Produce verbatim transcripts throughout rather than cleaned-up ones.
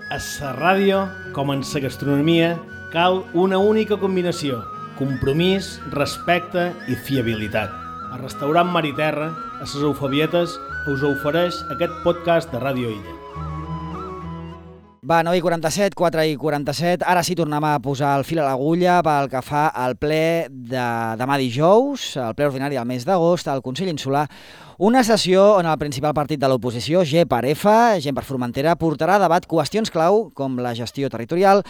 A la ràdio, com en la gastronomia, cal una única combinació: compromís, respecte i fiabilitat. El restaurant Mar i Terra, a les Eufabietes, us ofereix aquest podcast de Ràdio Illa. Va, nou i quaranta-set, quatre i quaranta-set, ara sí tornem a posar el fil a l'agulla pel que fa al ple de demà dijous, el ple ordinari del mes d'agost, al Consell Insular, una sessió on el principal partit de l'oposició, G per F, Gent per Formentera, portarà a debat qüestions clau com la gestió territorial,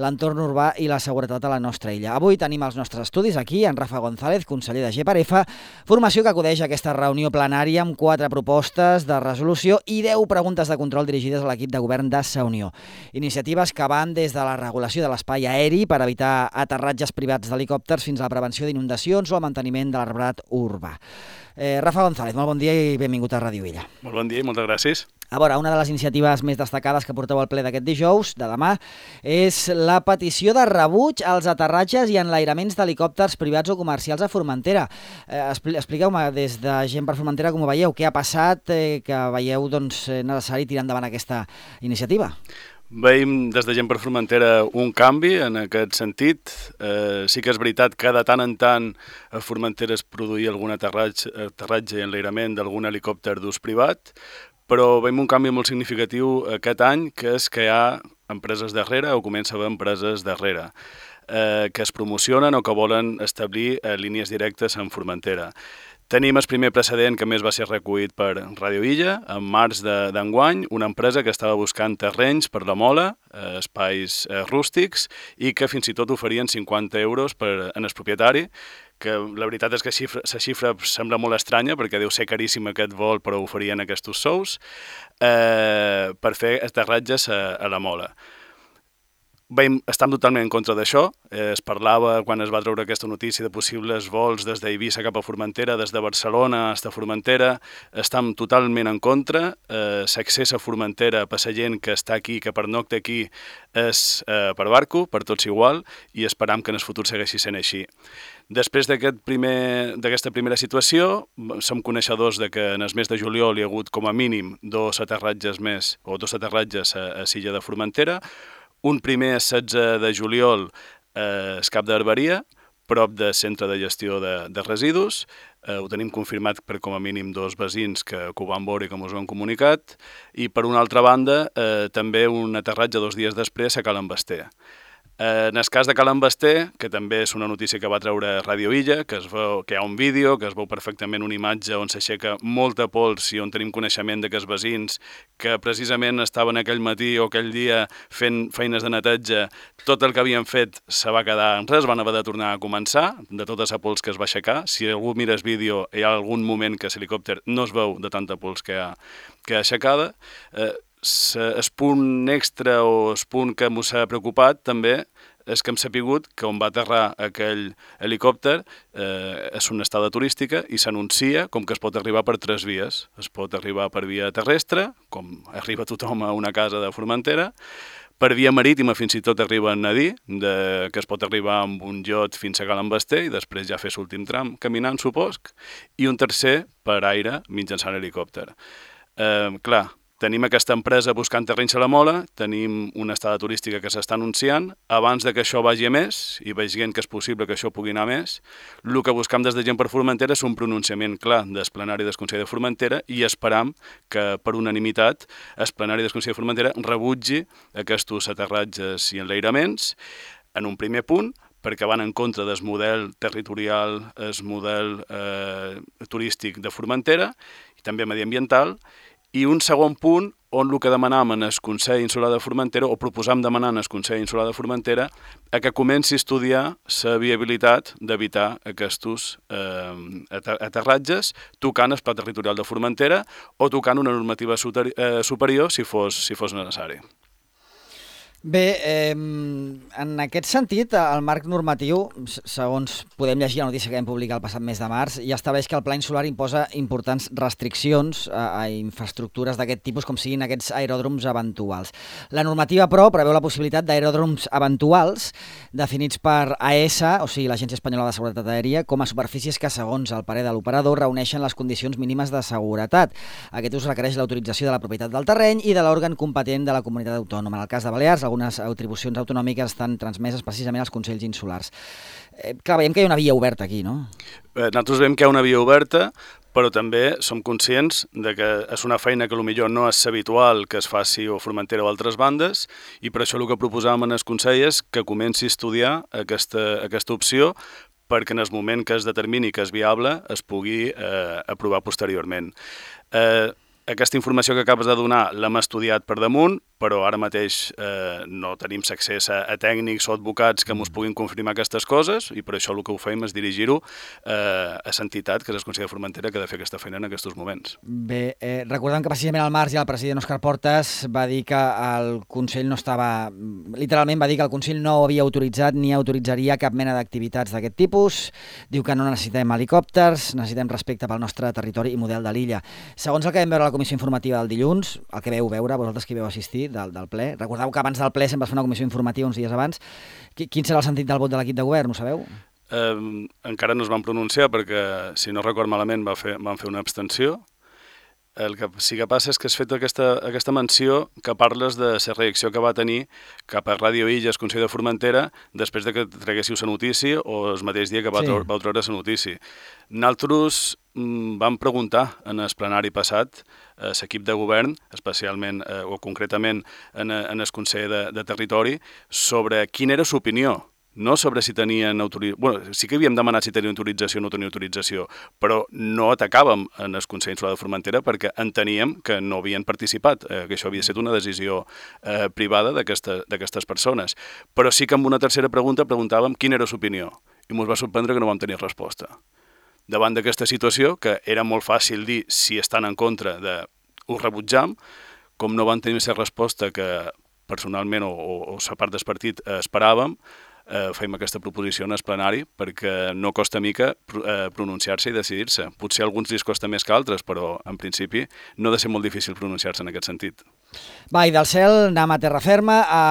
l'entorn urbà i la seguretat a la nostra illa. Avui tenim els nostres estudis aquí, en Rafa González, conseller de G per F, formació que acudeix a aquesta reunió plenària amb quatre propostes de resolució i deu preguntes de control dirigides a l'equip de govern de sa Unió. Iniciatives que van des de la regulació de l'espai aeri per evitar aterratges privats d'helicòpters fins a la prevenció d'inundacions o el manteniment de l'arbrat urbà. Eh, Rafa González, molt bon dia i benvingut a Ràdio Illa. Molt bon dia i moltes gràcies. A veure, una de les iniciatives més destacades que porteu al ple d'aquest dijous, de demà, és la petició de rebuig als aterratges i enlairaments d'helicòpters privats o comercials a Formentera. Eh, expliqueu-me des de Gent per Formentera com ho veieu, què ha passat, eh, que veieu doncs, necessari tirar endavant aquesta iniciativa? Veiem des de Gent per Formentera un canvi en aquest sentit. Eh, sí que és veritat que de tant en tant a Formentera es produïa algun aterratge, aterratge i enlairament d'algun helicòpter d'ús privat, però veiem un canvi molt significatiu aquest any, que és que hi ha empreses darrere o comença a haver empreses darrere eh, que es promocionen o que volen establir eh, línies directes en Formentera. Tenim el primer precedent que més va ser recollit per Ràdio Illa, en març d'enguany, una empresa que estava buscant terrenys per la Mola, eh, espais eh, rústics, i que fins i tot oferien cinquanta euros per, en el propietari, que la veritat és que la xifra, la xifra sembla molt estranya, perquè deu ser caríssim aquest vol, però oferien aquests sous, eh, per fer aterratges a, a la Mola. Veiem, estem totalment en contra d'això. Eh, es parlava, quan es va treure aquesta notícia, de possibles vols des d'Eivissa cap a Formentera, des de Barcelona fins a Formentera. Estem totalment en contra. Eh, L'accés a Formentera per la gent que està aquí, que pernocta aquí, és eh, per barco, per tots igual, i esperam que en el futur segueixi sent així. Després d'aquest primer, d'aquesta primera situació, som coneixedors de que en el mes de juliol hi ha hagut com a mínim dos aterratges més, o dos aterratges a, a l'illa de Formentera. Un primer el setze de juliol eh, al Cap d'Herberia, prop del centre de gestió de, de residus. Eh, ho tenim confirmat per com a mínim dos veïns que, que ho van veure i que ens ho han comunicat. I per una altra banda, eh, també un aterratge dos dies després a Cal Envester. Eh, en el cas de Cal Envester, que també és una notícia que va treure Ràdio Illa, que, es veu, que hi ha un vídeo, que es veu perfectament una imatge on s'aixeca molta pols i on tenim coneixement de que els veïns que precisament estaven aquell matí o aquell dia fent feines de neteja, tot el que havien fet se va quedar en res, van haver de tornar a començar, de tota la pols que es va aixecar. Si algú mira el vídeo, hi ha algun moment que l'helicòpter no es veu de tanta pols que ha, que ha aixecada. Eh, El punt extra o el punt que ens ha preocupat també és que hem sapigut que on va aterrar aquell helicòpter eh, és una estada turística i s'anuncia com que es pot arribar per tres vies. Es pot arribar per via terrestre, com arriba tothom a una casa de Formentera, per via marítima fins i tot arriben a dir de, que es pot arribar amb un iot fins a Cal Envester i després ja fer l'últim tram caminant, supost, i un tercer per aire mitjançant helicòpter. Eh, clar, tenim aquesta empresa buscant terrenys a la Mola, tenim una estada turística que s'està anunciant. Abans de que això vagi a més, i veiem que és possible que això pugui anar a més, el que buscam des de Gent per Formentera és un pronunciament clar del plenari del Consell de Formentera i esperam que per unanimitat el plenari del Consell de Formentera rebutgi aquests aterratges i enlairaments en un primer punt, perquè van en contra del model territorial, el model eh, turístic de Formentera i també mediambiental. I un segon punt on el que demanam en el Consell Insular de Formentera, o proposam demanar en el Consell Insular de Formentera, a que comenci a estudiar la viabilitat d'evitar aquests eh, aterratges tocant el pla territorial de Formentera o tocant una normativa superior si fos, si fos necessari. Bé, eh, en aquest sentit, el marc normatiu, segons podem llegir la notícia que vam publicar el passat mes de març, ja estableix que el Pla Insular imposa importants restriccions a, a infraestructures d'aquest tipus, com siguin aquests aeròdroms eventuals. La normativa, però, preveu la possibilitat d'aeròdroms eventuals definits per A E S A, o sigui, l'Agència Espanyola de Seguretat Aèria, com a superfícies que, segons el parer de l'operador, reuneixen les condicions mínimes de seguretat. Aquest ús requereix l'autorització de la propietat del terreny i de l'òrgan competent de la comunitat autònoma. En el cas de Balears, algunes atribucions autonòmiques estan transmeses precisament als Consells Insulars. Eh, clar, veiem que hi ha una via oberta aquí, no? Bé, nosaltres veiem que hi ha una via oberta, però també som conscients de que és una feina que potser no és habitual que es faci a Formentera o altres bandes, i per això el que proposàvem en el Consell és que comenci a estudiar aquesta, aquesta opció, perquè en el moment que es determini que és viable es pugui eh, aprovar posteriorment. Eh, Aquesta informació que acabes de donar l'hem estudiat per damunt, però ara mateix eh, no tenim accés a, a tècnics o advocats que ens puguin confirmar aquestes coses, i per això el que ho fem és dirigir-ho eh, a l'entitat, que és el Consell de Formentera, que ha de fer aquesta feina en aquests moments. Bé, eh, recordem que precisament al març ja el president Òscar Portas va dir que el Consell no estava... Literalment va dir que el Consell no havia autoritzat ni autoritzaria cap mena d'activitats d'aquest tipus. Diu que no necessitem helicòpters, necessitem respecte pel nostre territori i model de l'illa. Segons el que vam veure a la comissió informativa del dilluns, el que veu veure, vosaltres que hi veu assistir, del, del ple. Recordeu que abans del ple sempre es fa una comissió informativa uns dies abans. Quin serà el sentit del vot de l'equip de govern, ho sabeu? Eh, encara no es van pronunciar perquè, si no record malament, va fer, van fer una abstenció. El que sí que passa és que has fet aquesta, aquesta menció que parles de la reacció que va tenir cap a Ràdio Illes, Consell de Formentera, després de que traguéssiu la notícia o el mateix dia que va, sí. treure, va treure la notícia. Nosaltres mm, vam preguntar en el plenari passat a l'equip de govern, especialment eh, o concretament en, en el Consell de, de Territori, sobre quina era l'opinió. No sobre si tenien autorització... Bueno, sí que havíem demanat si tenien autorització o no tenien autorització, però no atacàvem en el Consell Insular de Formentera perquè enteníem que no havien participat, eh, que això havia estat una decisió eh, privada d'aquestes persones. Però sí que amb una tercera pregunta preguntàvem quina era l'opinió, i ens va sorprendre que no vam tenir resposta. Davant d'aquesta situació, que era molt fàcil dir si estan en contra de ho rebutjam, com no van tenir la resposta que personalment o, o, o la part del partit eh, esperàvem, Eh, fem aquesta proposició en el plenari perquè no costa mica eh, pronunciar-se i decidir-se. Potser a alguns li costa més que altres, però en principi no ha de ser molt difícil pronunciar-se en aquest sentit. Va, i del cel anem a terra ferma, a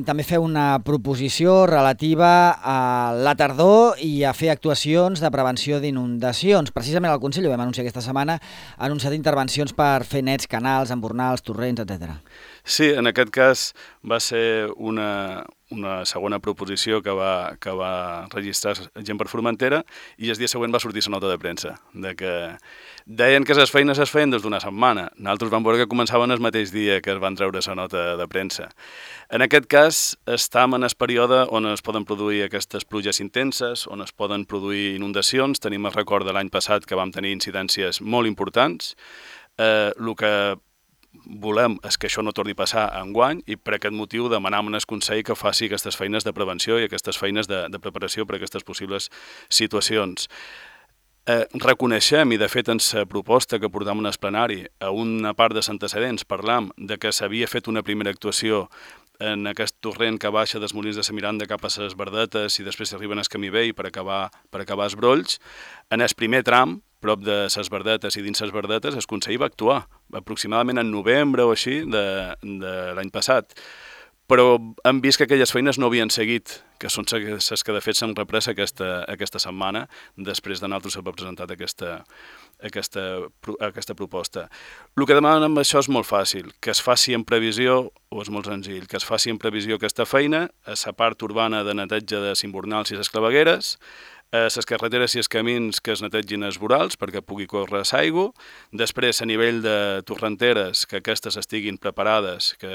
també fer una proposició relativa a la tardor i a fer actuacions de prevenció d'inundacions. Precisament el Consell, ho vam anunciar aquesta setmana, ha anunciat intervencions per fer nets, canals, embornals, torrents, etcètera. Sí, en aquest cas va ser una, una segona proposició que va, que va registrar Gent per Formentera, i el dia següent va sortir la nota de premsa, de que deien que les feines es feien des d'una setmana. Nosaltres vam veure que començaven el mateix dia que es van treure la nota de premsa. En aquest cas, estem en el període on es poden produir aquestes pluges intenses, on es poden produir inundacions. Tenim el record de l'any passat que vam tenir incidències molt importants. Eh, el que volem és que això no torni a passar enguany, i per aquest motiu demanam al Consell que faci aquestes feines de prevenció i aquestes feines de, de preparació per a aquestes possibles situacions. Eh, reconeixem, i de fet en la proposta que portam en el plenari, a una part dels antecedents parlam de que s'havia fet una primera actuació en aquest torrent que baixa dels Molins de la Miranda cap a les Verdetes i després arriben al Camí Vell per acabar, per acabar els Brolls. En el primer tram, prop de les Verdetes i dins les Verdetes, el Consell va actuar, aproximadament en novembre o així de, de l'any passat. Però hem vist que aquelles feines no havien seguit, que són les que de fet s'han reprès aquesta, aquesta setmana, després de nosaltres haver presentat aquesta, aquesta, aquesta proposta. El que demanen amb això és molt fàcil, que es faci en previsió, o és molt senzill, que es faci en previsió aquesta feina, a la part urbana de neteja de Simbornals i les clavegueres, a les carreteres i els camins que es netegin els vorals perquè pugui córrer l'aigua, després a nivell de torrenteres que aquestes estiguin preparades, que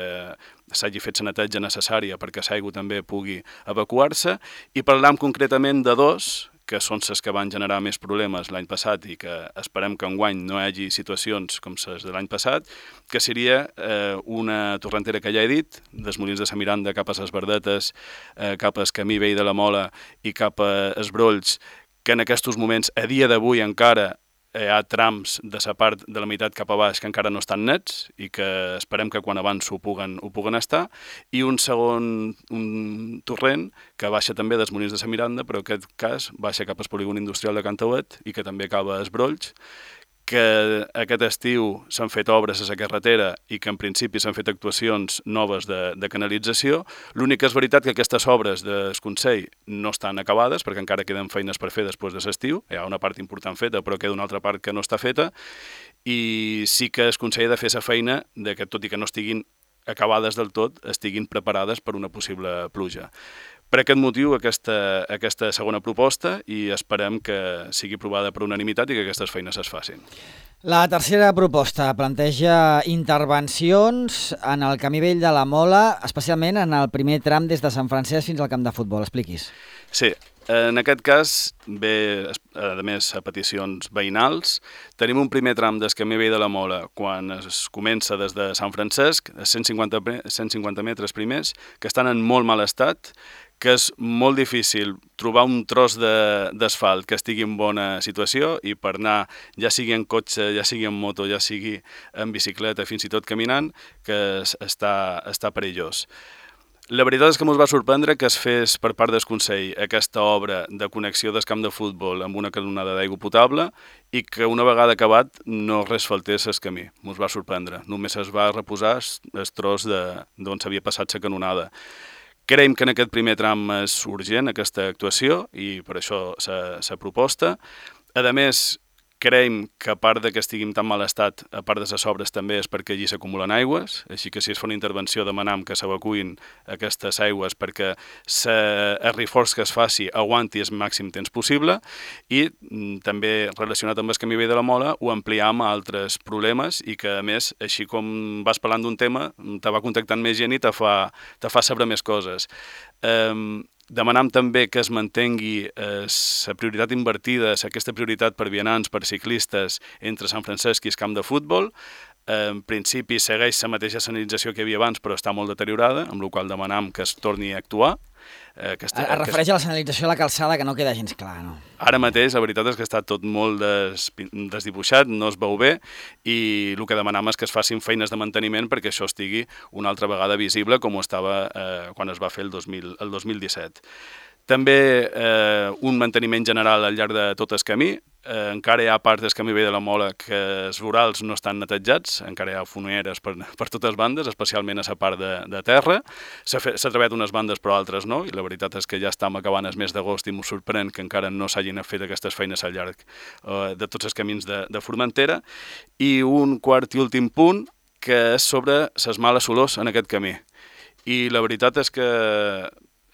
s'hagi fet la neteja necessària perquè l'aigua també pugui evacuar-se, i parlam concretament de dos, que són les que van generar més problemes l'any passat i que esperem que enguany no hi hagi situacions com les de l'any passat, que seria eh, una torrentera que ja he dit, dels Molins de la Miranda cap a les Verdetes, eh, cap al Camí Vell de la Mola i cap als Brolls, que en aquests moments, a dia d'avui encara, hi ha trams de la part de la meitat cap a baix que encara no estan nets i que esperem que quan abans ho puguen, ho puguen estar, i un segon un torrent que baixa també dels Molins de la Miranda, però en aquest cas baixa cap al polígon industrial de Cantauet i que també acaba a Esbrolls, que aquest estiu s'han fet obres a la carretera i que en principi s'han fet actuacions noves de, de canalització. L'únic que és veritat que aquestes obres del Consell no estan acabades perquè encara queden feines per fer després de l'estiu. Hi ha una part important feta, però queda una altra part que no està feta, i sí que el Consell ha de fer la feina de que, tot i que no estiguin acabades del tot, estiguin preparades per una possible pluja. Per aquest motiu, aquesta, aquesta segona proposta, i esperem que sigui aprovada per unanimitat i que aquestes feines es facin. La tercera proposta planteja intervencions en el camí vell de la Mola, especialment en el primer tram des de Sant Francesc fins al camp de futbol. Expliquis. Sí, en aquest cas, bé, a més, a peticions veïnals, tenim un primer tram del camí vell de la Mola quan es comença des de Sant Francesc, cent cinquanta metres primers, que estan en molt mal estat, que és molt difícil trobar un tros d'asfalt que estigui en bona situació i per anar, ja sigui en cotxe, ja sigui en moto, ja sigui en bicicleta, fins i tot caminant, que està, està perillós. La veritat és que ens va sorprendre que es fes per part del Consell aquesta obra de connexió del camp de futbol amb una canonada d'aigua potable i que una vegada acabat no res faltés el camí. Ens va sorprendre. Només es va reposar el tros d'on s'havia passat la canonada. Creiem que en aquest primer tram és urgent aquesta actuació i per això la proposta. A més, creiem que a part que estiguin tan mal estat, a part de les obres també és perquè allí s'acumulen aigües, així que si es fa una intervenció demanam que s'evacuïn aquestes aigües perquè el reforç que es faci aguanti el màxim temps possible i també relacionat amb el camí vell de la Mola ho ampliam a altres problemes i que a més, així com vas parlant d'un tema, te va contactant més gent i te fa, te fa saber més coses. Um, Demanam també que es mantengui la prioritat invertida, aquesta prioritat per vianants, per ciclistes, entre Sant Francesc i el camp de futbol. En principi segueix la mateixa senyalització que hi havia abans, però està molt deteriorada, amb la qual demanam que es torni a actuar. Eh, que es, es refereix a la senyalització de la calçada, que no queda gens clar, no? Ara mateix, la veritat és que està tot molt des, desdibuixat, no es veu bé, i el que demanam és que es facin feines de manteniment perquè això estigui una altra vegada visible com ho estava eh, quan es va fer el dos mil, el dos mil disset. També eh, un manteniment general al llarg de tot el camí. Eh, encara hi ha parts del camí vell de la Mola que els vorals no estan netejats, encara hi ha foneres per, per totes bandes, especialment a la part de, de terra. S'ha treballat unes bandes però altres no, i la veritat és que ja estem acabant el mes d'agost i m'ho sorprèn que encara no s'hagin fet aquestes feines al llarg eh, de tots els camins de, de Formentera. I un quart i últim punt que és sobre les males olors en aquest camí. I la veritat és que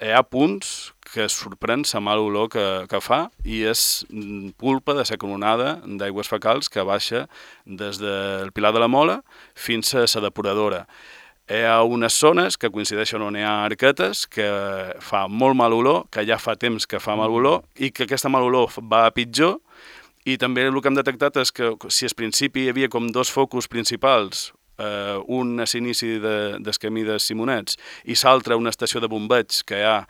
hi ha punts que sorprèn la mala olor que, que fa i és culpa de la canonada d'aigües fecals que baixa des del Pilar de la Mola fins a la depuradora. Hi ha unes zones que coincideixen on hi ha arquetes que fa molt mal olor, que ja fa temps que fa mal olor i que aquesta mal olor va a pitjor. I també el que hem detectat és que si al principi hi havia com dos focus principals, Uh, un a l'inici de, del camí de Simonets i l'altre una estació de bombeig que hi ha...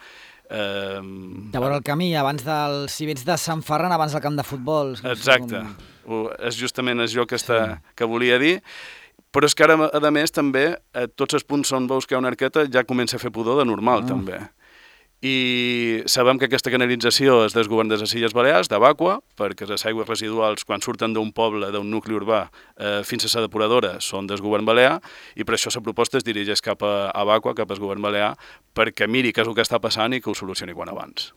Uh, de vora el camí, abans del... si vens de Sant Ferran, abans del camp de futbol. Exacte, com... és justament això que, està, sí. que volia dir. Però és que ara, a més, també, a tots els punts on veus que hi ha una arqueta ja comença a fer pudor de normal, ah. també. I sabem que aquesta canalització és del govern de les Illes Balears, de Bàqua, perquè les aigües residuals, quan surten d'un poble, d'un nucli urbà, eh, fins a la depuradora, són del govern balear, i per això la proposta es dirigeix cap a, a Bàqua, cap al govern balear, perquè miri què és el que està passant i que ho solucioni quan abans.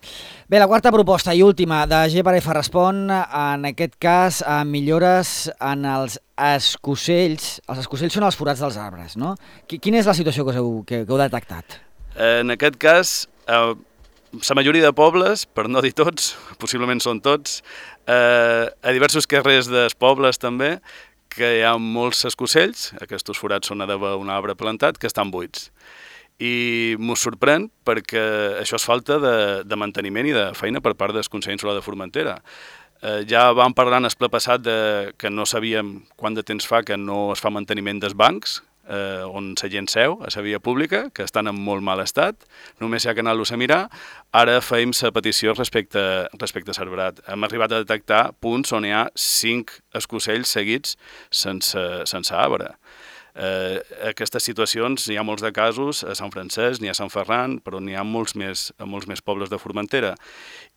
Bé, la quarta proposta i última de G per F respon, en aquest cas, a millores en els escocells. Els escocells són els forats dels arbres, no? Quina és la situació que heu, que, que heu detectat? En aquest cas, Uh, la majoria de pobles, per no dir tots, possiblement són tots, uh, a diversos carrers dels pobles també, que hi ha molts escocells, aquests forats són d'haver un arbre plantat, que estan buits. I m'ho sorprèn perquè això és falta de, de manteniment i de feina per part del Consell Insular de Formentera. Uh, ja vam parlar en el ple passat de, que no sabíem quant de temps fa que no es fa manteniment dels bancs, eh, on la gent seu, a la via pública, que estan en molt mal estat, només hi ha que anar-los a mirar. Ara feim la petició respecte, respecte a Cerverat. Hem arribat a detectar punts on hi ha cinc escocells seguits sense, sense arbre. Eh, aquestes situacions, n'hi ha molts de casos a Sant Francesc, n'hi ha a Sant Ferran, però n'hi ha molts més, a molts més pobles de Formentera.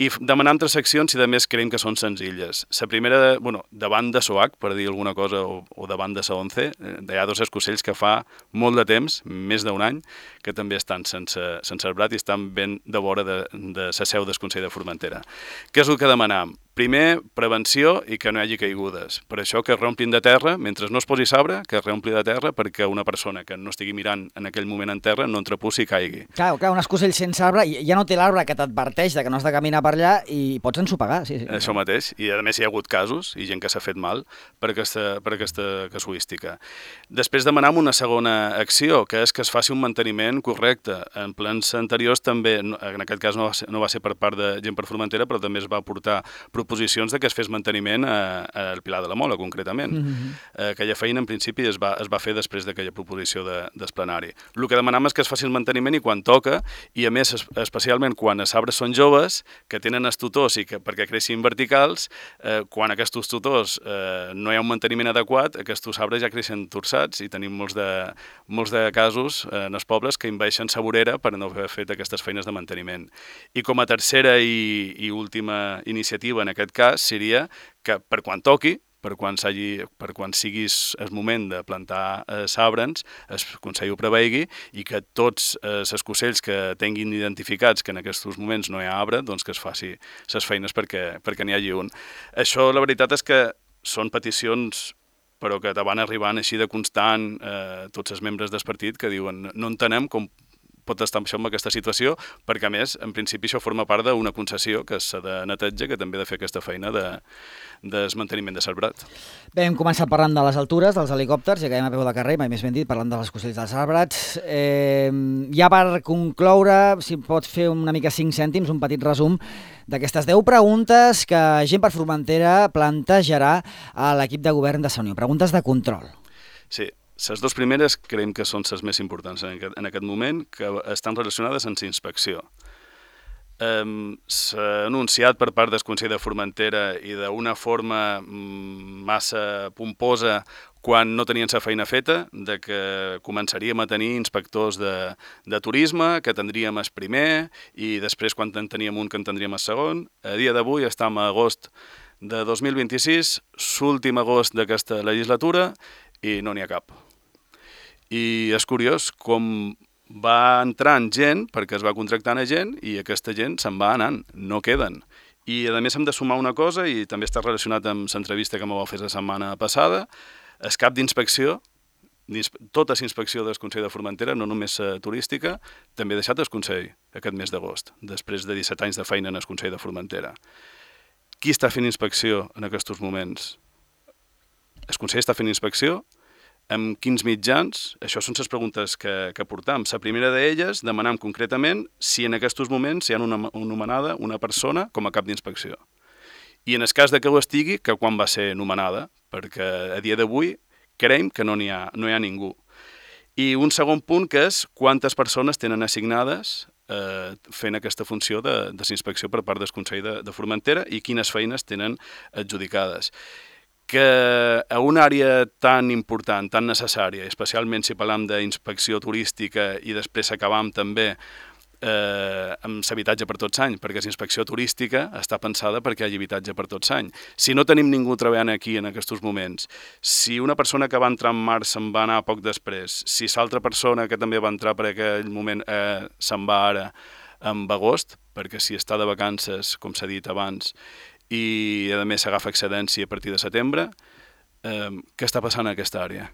I demanant tres seccions i, a més, creiem que són senzilles. La primera, bueno, davant de Soac, per dir alguna cosa, o, o davant de Sa Once, eh, hi ha dos escocells que fa molt de temps, més d'un any, que també estan sense, sense arbrat i estan ben de vora de, de la seu del Consell de Formentera. Què és el que demanam? Primer, prevenció i que no hi hagi caigudes. Per això que es reomplin de terra, mentre no es posi sabre, que es reompli de terra perquè una persona que no estigui mirant en aquell moment en terra no entrepussi i caigui. Clar, clar, un escocell sense arbre, ja no té l'arbre que t'adverteix de que no has de caminar per allà i pots ensopegar. Sí, sí. Això mateix. I a més hi ha hagut casos i gent que s'ha fet mal per aquesta, per aquesta casuística. Després demanam una segona acció, que és que es faci un manteniment correcte. En plans anteriors també, en aquest cas no va ser, no va ser per part de gent per Formentera, però també es va portar proposicions de que es fes manteniment al Pilar de la Mola, concretament. Mm-hmm. eh, aquella feina, en principi, es va, es va fer després d'aquella proposició de, d'esplenari. El que demanam és que es faci el manteniment i quan toca, i a més, especialment quan els arbres són joves, que tenen els tutors i que perquè creixin verticals, eh, quan aquests tutors eh, no hi ha un manteniment adequat, aquests arbres ja creixen torçats i tenim molts de, molts de casos eh, en els pobles que envaeixen sa vorera per no haver fet aquestes feines de manteniment. I com a tercera i, i última iniciativa en aquest cas seria que per quan toqui, per quan, per quan sigui el moment de plantar eh, sabrens, el Consell ho preveigui i que tots eh, els escocells que tinguin identificats que en aquests moments no hi ha arbre, doncs que es faci les feines perquè, perquè n'hi hagi un. Això, la veritat és que són peticions però que te van arribant així de constant eh, tots els membres del partit que diuen no entenem com pot estar això en aquesta situació, perquè a més, en principi això forma part d'una concessió que s'ha de neteja, que també ha de fer aquesta feina de, de desmanteniment de Cerverat. Bé, hem començat parlant de les altures, dels helicòpters, ja acabem a peu de carrer, mai més ben dit, parlant dels escocells dels arbrats. Eh, ja per concloure, si pots fer una mica cinc cèntims, un petit resum d'aquestes deu preguntes que Gent per Formentera plantejarà a l'equip de govern de la Unió. Preguntes de control. Sí. Les dues primeres creiem que són les més importants en aquest, en aquest moment, que estan relacionades amb la inspecció. Um, s'ha anunciat per part del Consell de Formentera i d'una forma massa pomposa quan no tenien la feina feta, de que començaríem a tenir inspectors de, de turisme, que tindríem el primer, i després quan en teníem un que en tindríem el segon. A dia d'avui estem a agost de dos mil vint-i-sis, l'últim agost d'aquesta legislatura, i no n'hi ha cap. I és curiós com va entrant gent, perquè es va contractant a gent, i aquesta gent se'n va anant, no queden. I a més hem de sumar una cosa, i també està relacionat amb l'entrevista que m'ho va fer la setmana passada, el cap d'inspecció, tota la inspecció del Consell de Formentera, no només la turística, també ha deixat el Consell aquest mes d'agost, després de disset anys de feina en el Consell de Formentera. Qui està fent inspecció en aquests moments? El Consell està fent inspecció? Amb quins mitjans? Això són les preguntes que, que portam. La primera d'elles demanam concretament si en aquests moments hi ha una, una nomenada una persona com a cap d'inspecció. I en el cas de que ho estigui, que quan va ser nomenada, perquè a dia d'avui creiem que no n'hi ha, no hi ha ningú. I un segon punt que és quantes persones tenen assignades eh, fent aquesta funció de, de inspecció per part del Consell de, de Formentera i quines feines tenen adjudicades. Que a una àrea tan important, tan necessària, especialment si parlam d'inspecció turística i després acabam també eh, amb l'habitatge per tots anys, perquè la inspecció turística està pensada perquè hi hagi habitatge per tots anys. Si no tenim ningú treballant aquí en aquests moments, si una persona que va entrar en març se'n va anar poc després, si l'altra persona que també va entrar per aquell moment eh, se'n va ara en agost, perquè si està de vacances, com s'ha dit abans, i a més s'agafa excedència a partir de setembre, eh, què està passant en aquesta àrea?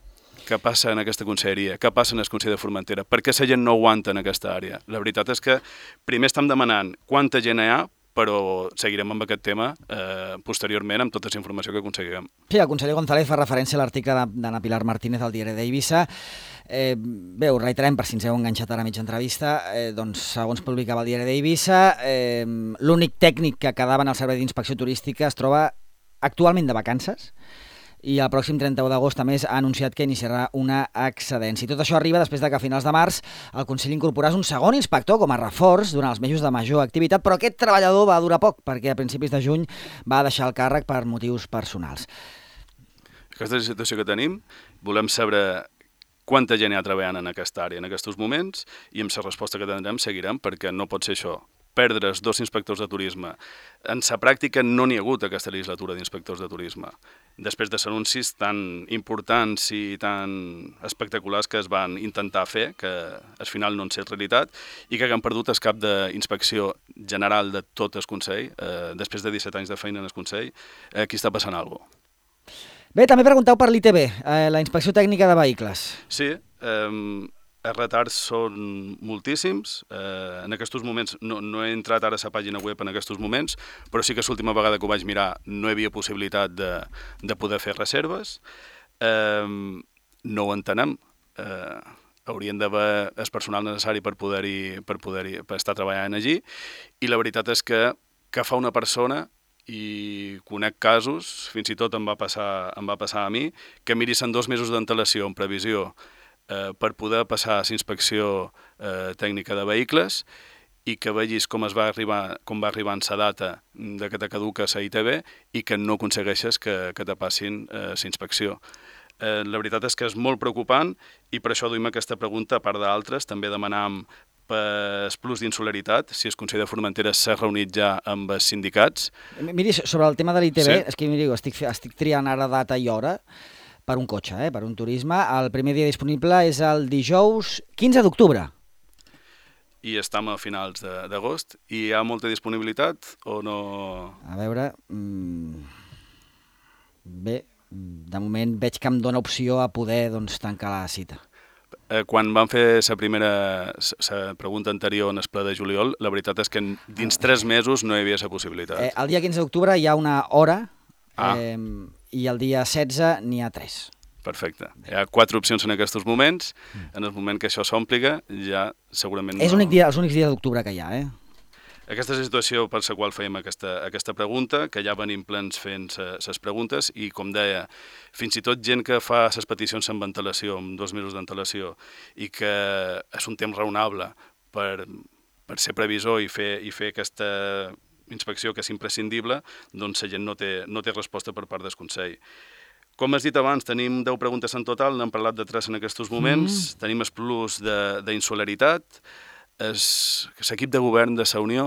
Què passa en aquesta conselleria? Què passa en el Consell de Formentera? Per què la gent no aguanta en aquesta àrea? La veritat és que primer estem demanant quanta gent hi ha, però seguirem amb aquest tema eh, posteriorment amb tota la informació que aconseguirem. Sí, el conseller González fa referència a l'article d'Anna Pilar Martínez al diari d'Eivissa. Eh, bé, ho reiterem per si ens heu enganxat ara a mitja entrevista. Eh, doncs, segons publicava el diari d'Eivissa, eh, l'únic tècnic que quedava en el servei d'inspecció turística es troba actualment de vacances i el pròxim trenta-u d'agost també ha anunciat que iniciarà una excedència. I tot això arriba després de que a finals de març el Consell incorporàs un segon inspector com a reforç durant els mesos de major activitat, però aquest treballador va durar poc perquè a principis de juny va deixar el càrrec per motius personals. Aquesta és la situació que tenim. Volem saber quanta gent hi ha treballant en aquesta àrea en aquests moments i amb la resposta que tindrem seguirem, perquè no pot ser això. Perdre's dos inspectors de turisme. En la pràctica no n'hi ha hagut aquesta legislatura d'inspectors de turisme. Després de anuncis tan importants i tan espectaculars que es van intentar fer, que al final no han set realitat, i que han perdut el cap d'inspecció general de tot el Consell, eh, després de disset anys de feina en el Consell, eh, aquí està passant alguna cosa. Bé, també pregunteu per l'I T B, eh, la Inspecció Tècnica de Vehicles. Sí, eh, els retards són moltíssims. Eh, en aquests moments, no, no he entrat ara a la pàgina web en aquests moments, però sí que l'última vegada que ho vaig mirar no hi havia possibilitat de, de poder fer reserves. Eh, no ho entenem. Eh, haurien d'haver el personal necessari per poder-hi per poder-hi per estar treballant allí, i la veritat és que que fa una persona, i conec casos, fins i tot em va passar, em va passar a mi, que miris en dos mesos d'antelació en previsió eh, per poder passar a la inspecció eh, tècnica de vehicles i que vegis com es va arribar, com va arribar en sa data de que te caduca la I T B i que no aconsegueixes que, que te passin eh, la inspecció. Eh, la veritat és que és molt preocupant i per això duim aquesta pregunta, a part d'altres. També demanam per plus d'insularitat, si el Consell de Formentera s'ha reunit ja amb els sindicats. Miri, sobre el tema de l'I T B, Sí. és que miri, estic, estic triant ara data i hora per un cotxe, eh, per un turisme. El primer dia disponible és el dijous quinze d'octubre. I estem a finals de- d'agost. I hi ha molta disponibilitat o no? A veure... Mm, bé, de moment veig que em dóna opció a poder doncs, tancar la cita. Eh, quan van fer la primera la pregunta anterior en el ple de juliol, la veritat és que en- dins tres mesos no hi havia la possibilitat. Eh, el dia quinze d'octubre hi ha una hora Ah. eh, i el dia setze n'hi ha tres. Perfecte. Hi ha quatre opcions en aquests moments. En el moment que això s'ompliga, ja segurament És no... únic dia, els únics dies d'octubre que hi ha, eh? Aquesta és la situació per la qual fèiem aquesta, aquesta pregunta, que ja venim plens fent les preguntes i, com deia, fins i tot gent que fa les peticions amb antelació, amb dos mesos d'antelació, i que és un temps raonable per, per ser previsor i fer, i fer aquesta inspecció que és imprescindible, doncs la gent no té, no té resposta per part del Consell. Com has dit abans, tenim deu preguntes en total, n'hem parlat de tres en aquests moments, mm. tenim el plus d'insularitat. L'equip de govern de la Unió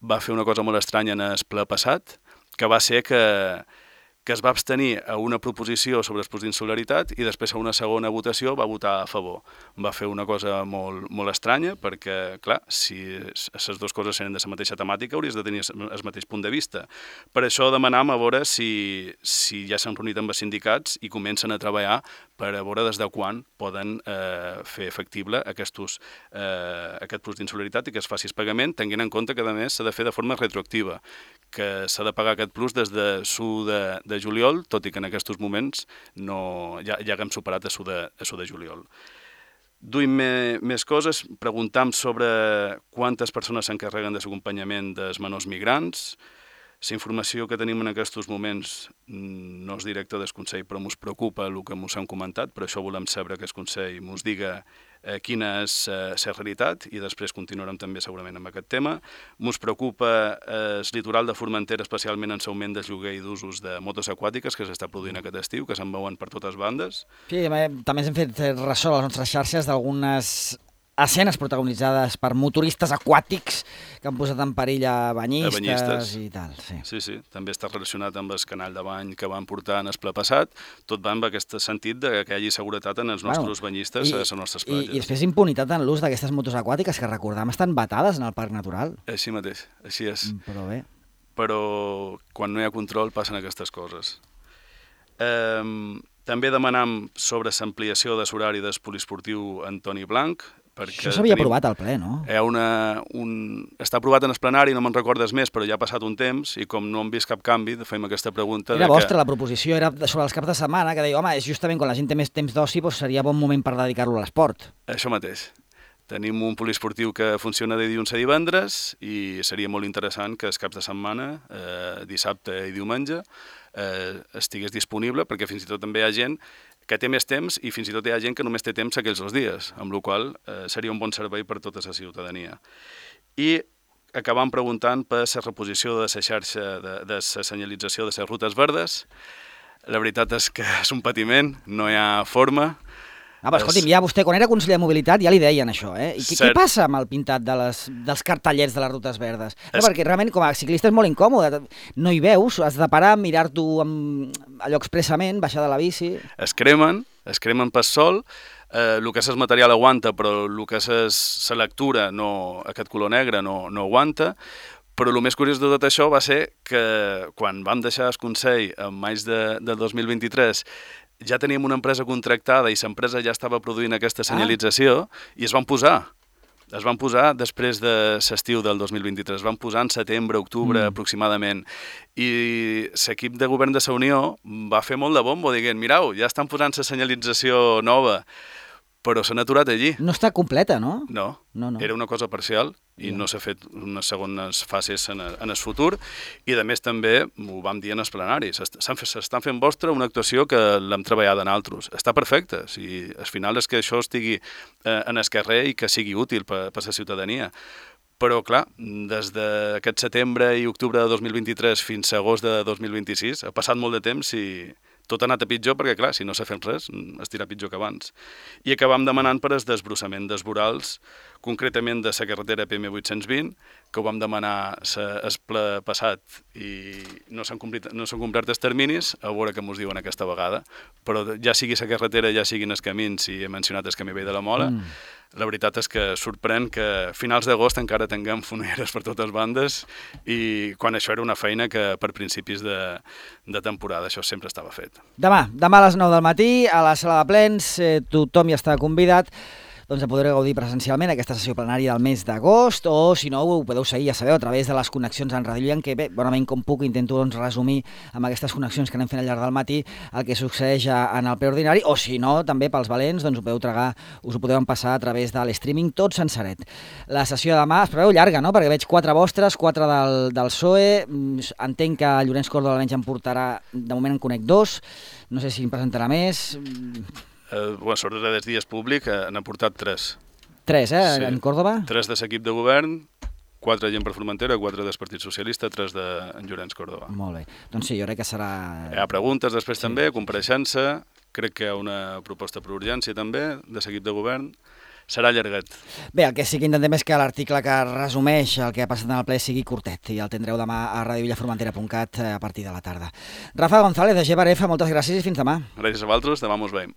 va fer una cosa molt estranya en el ple passat, que va ser que, que es va abstenir a una proposició sobre el plus d'insularitat i després a una segona votació va votar a favor. Va fer una cosa molt, molt estranya perquè, clar, si les dues coses eren de la mateixa temàtica hauries de tenir el mateix punt de vista. Per això demanam a veure si, si ja s'han reunit amb els sindicats i comencen a treballar per a veure des de quan poden eh, fer efectible aquestos, eh, aquest plus d'insularitat i que es faci el pagament, tenint en compte que, a més, s'ha de fer de forma retroactiva, que s'ha de pagar aquest plus des de su de, de juliol, tot i que en aquests moments no, ja, ja haguem superat a su de, a su de juliol. Duim me, més coses, preguntam sobre quantes persones s'encarreguen de l'acompanyament dels menors migrants. La informació que tenim en aquests moments no és directa del Consell, però ens preocupa el que ens hem comentat, per això volem saber que el Consell ens diga eh, quina és eh, la realitat i després continuarem també segurament amb aquest tema. Ens preocupa eh, el litoral de Formentera, especialment en l'augment del lloguer i d'usos de motos aquàtiques que s'està produint aquest estiu, que se'n veuen per totes bandes. Sí, també hem fet ressò a les nostres xarxes d'algunes escenes protagonitzades per motoristes aquàtics que han posat en perill a banyistes, a banyistes. I tal. Sí. sí, sí, també està relacionat amb el canal de bany que van portar en el ple passat, tot va amb aquest sentit de que hi hagi seguretat en els nostres bueno, banyistes i, a les nostres platges. I, I després impunitat en l'ús d'aquestes motos aquàtiques que recordam estan vetades en el Parc Natural. Així mateix, així és. Però bé. Però quan no hi ha control passen aquestes coses. Eh, també demanam sobre l'ampliació de l'horari del poliesportiu Antoni Blanc. Això s'havia aprovat al ple, no? Hi ha una, un, està aprovat en el plenari, no me'n recordes més, però ja ha passat un temps i com no hem vist cap canvi, fem aquesta pregunta... Era de vostra, que... la proposició era sobre els caps de setmana, que deia, home, justament quan la gent té més temps d'oci doncs seria bon moment per dedicar-lo a l'esport. Això mateix. Tenim un poliesportiu que funciona de dilluns a divendres i seria molt interessant que els caps de setmana, eh, dissabte i diumenge, eh, estigués disponible, perquè fins i tot també hi ha gent que té més temps i fins i tot hi ha gent que només té temps aquells dos dies, amb la qual cosa eh, seria un bon servei per tota la ciutadania. I acabam preguntant per la reposició de la xarxa, de, de la senyalització de les rutes verdes. La veritat és que és un patiment, no hi ha forma. Ah, però escolti'm, ja vostè, quan era conseller de Mobilitat, ja li deien això, eh? I què, què passa amb el pintat de les, dels cartellets de les rutes verdes? No, es... perquè realment, com a ciclista és molt incòmode, no hi veus, has de parar, mirar-t'ho allò expressament, baixar de la bici... Es cremen, es cremen pel sol, eh, el que és el material aguanta, però el que és la lectura, no, aquest color negre, no, no aguanta. Però el més curiós de tot això va ser que quan vam deixar el Consell en maig de, de dos mil vint-i-tres ja teníem una empresa contractada i l'empresa ja estava produint aquesta senyalització ah. i es van posar. Es van posar després de l'estiu del dos mil vint-i-tres, es van posar en setembre, octubre mm. aproximadament. I l'equip de govern de la Unió va fer molt de bombo dient, mirau, ja estan posant la senyalització nova, però s'han aturat allí. No està completa, no? No, no, no. Era una cosa parcial i no s'ha fet unes segones fases en, en el futur i a més també ho vam dir en els plenaris, s'estan fent vostra una actuació que l'hem treballat en altres. Està perfecte, si al final és que això estigui eh, en el carrer i que sigui útil per, per la ciutadania. Però, clar, des d'aquest setembre i octubre de dos mil vint-i-tres fins a agost de dos mil vint-i-sis ha passat molt de temps i tot ha anat a pitjor perquè, clar, si no s'ha fet res, estirà pitjor que abans. I acabam demanant per el desbrossament dels vorals, concretament de la carretera P M vuit-cents vint, que ho vam demanar el ple passat i no s'han complert, no s'han complert els terminis, a veure què mos diuen aquesta vegada. Però ja sigui la carretera, ja siguin els camins, i he mencionat el camí vell de la Mola, mm. la veritat és que sorprèn que a finals d'agost encara tinguem foneres per totes bandes i quan això era una feina que per principis de, de temporada això sempre estava fet. Demà, demà a les nou del matí, a la sala de plens, eh, tothom hi està convidat, doncs a poder gaudir presencialment aquesta sessió plenària del mes d'agost, o si no ho podeu seguir, ja sabeu, a través de les connexions en Ràdio Llian, que bé, bonament com puc intento doncs, resumir amb aquestes connexions que anem fent al llarg del matí el que succeeix en el ple ordinari, o si no, també pels valents, doncs ho podeu tragar, us ho podeu passar a través de l'streaming tot sensaret. La sessió de demà es preveu llarga, no?, perquè veig quatre vostres, quatre del, del P S O E, entenc que Llorenç Córdoba almenys en portarà, de moment en conec dos, no sé si en presentarà més... Uh, bueno, sobretot dels dies públic uh, n'ha portat tres. Tres, eh, sí. En Córdoba? Tres de l'equip de govern, quatre gent per Formentera, quatre del Partit Socialista, tres de en Llorenç Córdoba. Molt bé. Doncs sí, jo crec que serà... Hi ha preguntes després sí. també, compareixença, crec que hi ha una proposta per urgència també de l'equip de govern. Serà llarguet. Bé, el que sí que intentem és que l'article que resumeix el que ha passat en el ple sigui curtet i el tindreu demà a radio villa formentera punt cat a partir de la tarda. Rafa González, de G B R F, moltes gràcies i fins demà. Gràcies a vosaltres, demà mos veiem.